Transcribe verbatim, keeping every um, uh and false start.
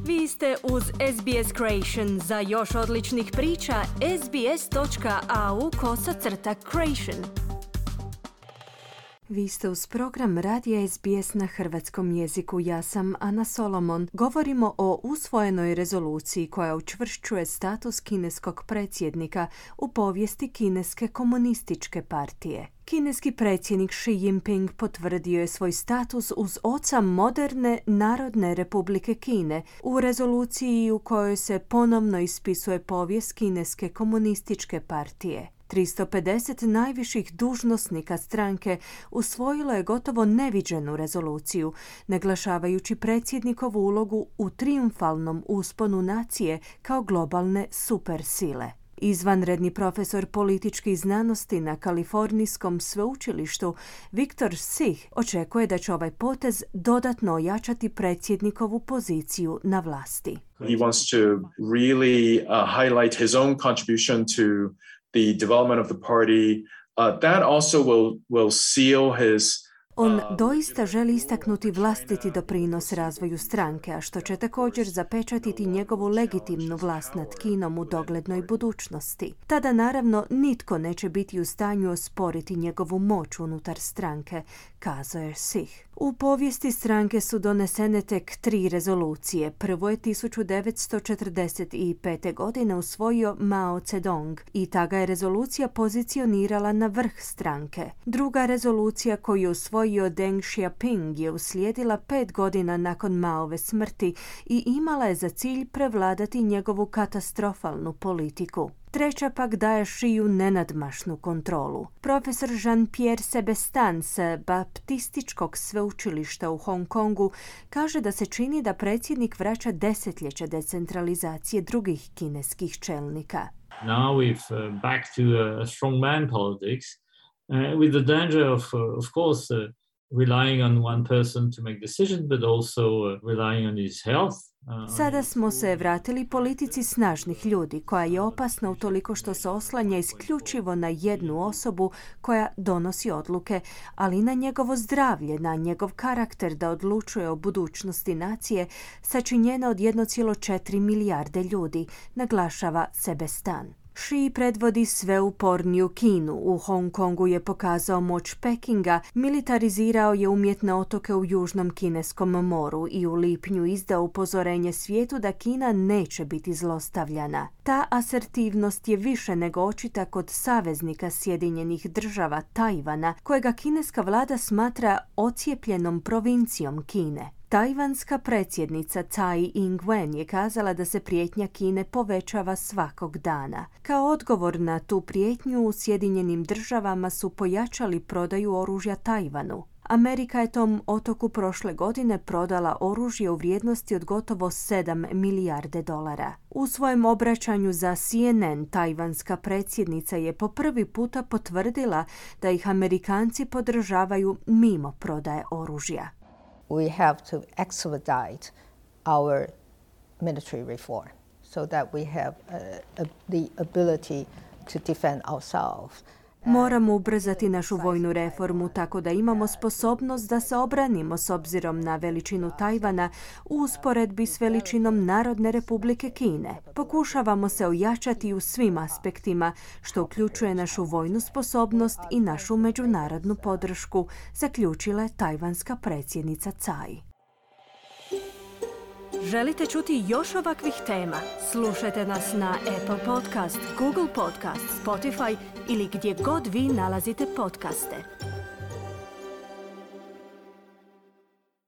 Vi ste uz S B S Creation. Za još odličnih priča, sbs.au kosacrta creation. Vi ste uz program Radija S B S na hrvatskom jeziku. Ja sam Ana Solomon. Govorimo o usvojenoj rezoluciji koja učvršćuje status kineskog predsjednika u povijesti Kineske komunističke partije. Kineski predsjednik Xi Jinping potvrdio je svoj status uz oca moderne Narodne republike Kine u rezoluciji u kojoj se ponovno ispisuje povijest Kineske komunističke partije. tristo pedeset najviših dužnosnika stranke usvojilo je gotovo neviđenu rezoluciju, naglašavajući predsjednikovu ulogu u trijumfalnom usponu nacije kao globalne supersile. Izvanredni profesor političkih znanosti na Kalifornijskom sveučilištu Viktor Sih očekuje da će ovaj potez dodatno ojačati predsjednikovu poziciju na vlasti. He wants to really uh, highlight his own contribution to the development of the party. Uh, that also will will seal his On doista želi istaknuti vlastiti doprinos razvoju stranke, a što će također zapečatiti njegovu legitimnu vlast nad Kinom u doglednoj budućnosti. Tada naravno nitko neće biti u stanju osporiti njegovu moć unutar stranke, kazao je Sih. U povijesti stranke su donesene tek tri rezolucije. Prvo je tisuću devetsto četrdeset pete. godine usvojio Mao Zedong i ta ga je rezolucija pozicionirala na vrh stranke. Druga rezolucija koju je usvojio Deng Xiaoping je uslijedila pet godina nakon Maove smrti i imala je za cilj prevladati njegovu katastrofalnu politiku. Treća pak daje Šiju nenadmašnu kontrolu. Profesor Jean-Pierre Sebestan s Baptističkog sveučilišta u Hong Kongu kaže da se čini da predsjednik vraća desetljeća decentralizacije drugih kineskih čelnika. Now we've uh, back to uh, strongman politics uh, with the danger of, uh, of course, uh, relying on one person to make decisions, but also uh, relying on his health. Sada smo se vratili politici snažnih ljudi, koja je opasna utoliko što se oslanja isključivo na jednu osobu koja donosi odluke, ali na njegovo zdravlje, na njegov karakter da odlučuje o budućnosti nacije, sačinjena od jedne zarez četiri milijarde ljudi, naglašava Sebestan. Xi predvodi sveuporniju Kinu. U Hong Kongu je pokazao moć Pekinga, militarizirao je umjetne otoke u Južnom Kineskom moru i u lipnju izdao upozorenje svijetu da Kina neće biti zlostavljana. Ta asertivnost je više nego očita kod saveznika Sjedinjenih država Tajvana, kojega kineska vlada smatra ocijepljenom provincijom Kine. Tajvanska predsjednica Tsai Ing-wen je kazala da se prijetnja Kine povećava svakog dana. Kao odgovor na tu prijetnju u Sjedinjenim državama su pojačali prodaju oružja Tajvanu. Amerika je tom otoku prošle godine prodala oružje u vrijednosti od gotovo sedam milijarde dolara. U svojem obraćanju za C N N tajvanska predsjednica je po prvi puta potvrdila da ih Amerikanci podržavaju mimo prodaje oružja. We have to expedite our military reform so that we have uh, uh, the ability to defend ourselves. Moramo ubrzati našu vojnu reformu tako da imamo sposobnost da se obranimo s obzirom na veličinu Tajvana u usporedbi s veličinom Narodne republike Kine. Pokušavamo se ojačati u svim aspektima, što uključuje našu vojnu sposobnost i našu međunarodnu podršku, zaključila je tajvanska predsjednica Tsai. Želite čuti još ovakvih tema? Slušajte nas na Apple Podcast, Google Podcast, Spotify ili gdje god vi nalazite podcaste.